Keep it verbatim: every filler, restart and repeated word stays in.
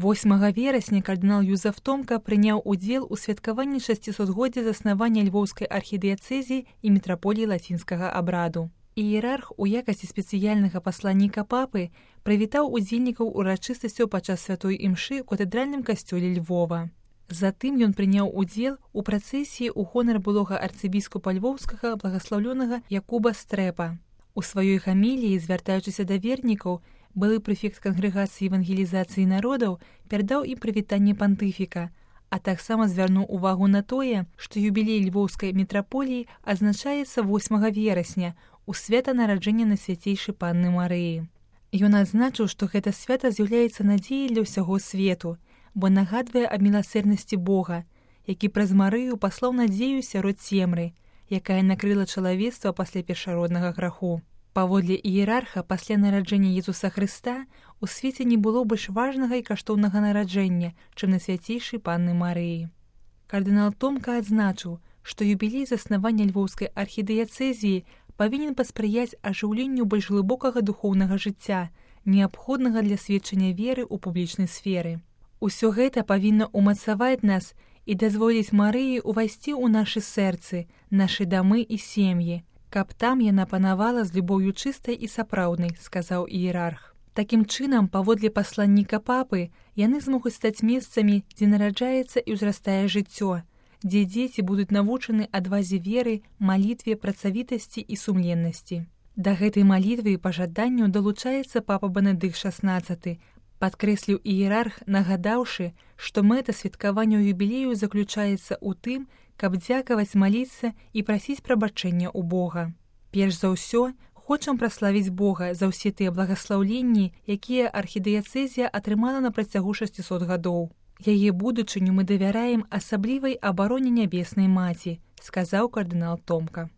восьмага верасня кардынал Юзеф Томка прыняў удзел у святкаванні шасцісотгоддзя заснавання Львоўскай архідыяцэзіі і мітраполіі лацінскага абраду. Іерарх у якасці спецыяльнага пасланніка папы прывітаў удзельнікаў урачыстасцяў падчас святой імшы ў катэдральным касцёле Львова. Затым ён прыняў удзел у працэсіі ў гонар былога арцыбіскупа львоўскага благаслаўлёнага Якуба Стрэпа. У сваёй гаміліі, звяртаючыся да вернікаў, былы прэфект кангрэгацыі евангелізацыі народаў перадаў ім прывітанне пантыфіка, а таксама звярнуў увагу на тое, што юбілей львоўскай мітраполіі адзначаецца восьмага верасня у свята нараджэння Найсвяцейшай Панны Марыі. Ён адзначыў, што гэта свята з'яўляецца надзеяй для ўсяго свету, бо нагадвае аб міласэрнасці Бога, які праз Марыю паслаў надзею сярод цемры, якая накрыла чалавецтва пасля першароднага граху. Паводле іерарха, пасля нараджэння Езуса Хрыста у свеце не было больш важнага і каштоўнага нараджэння, чым Найсвяцейшай Панны Марыі. Кардынал Томка адзначыў, што юбілей заснавання Львоўскай архідыяцэзіі павінен паспрыяць ажыўленню больш глыбокага духоўнага жыцця, неабходнага для сведчання веры ў публічнай сферы. Усё гэта павінна ўмацаваць нас і дазволіць Марыі ўвайсці ў нашы сэрцы, нашы дамы і сем'і, каб там яна панавала з любоўю чыстай і сапраўднай, сказаў іерарх. Такім чынам, паводле пасланніка папы, яны змогуць стаць месцамі, дзе нараджаецца і ўзрастае жыццё, дзе дзеці будуць навучаны адвазе веры, малітве, працавітасці і сумленнасці. Да гэтай малітвы і пажаданню далучаецца папа Бенедыкт шаснаццаты, падкрэсліў іерарх, нагадаўшы, што мэта святкавання юбілею заключаецца ў тым, каб дзякаваць, маліцца і прасіць прабачэння ў Бога. Перш за ўсё, хочам праславіць Бога за ўсе тыя благаслаўленні, якія архідыяцэзія атрымала на працягу шасцісот гадоў. Яе будучыню мы давяраем асаблівай абароне нябеснай маці, сказаў кардынал Томка.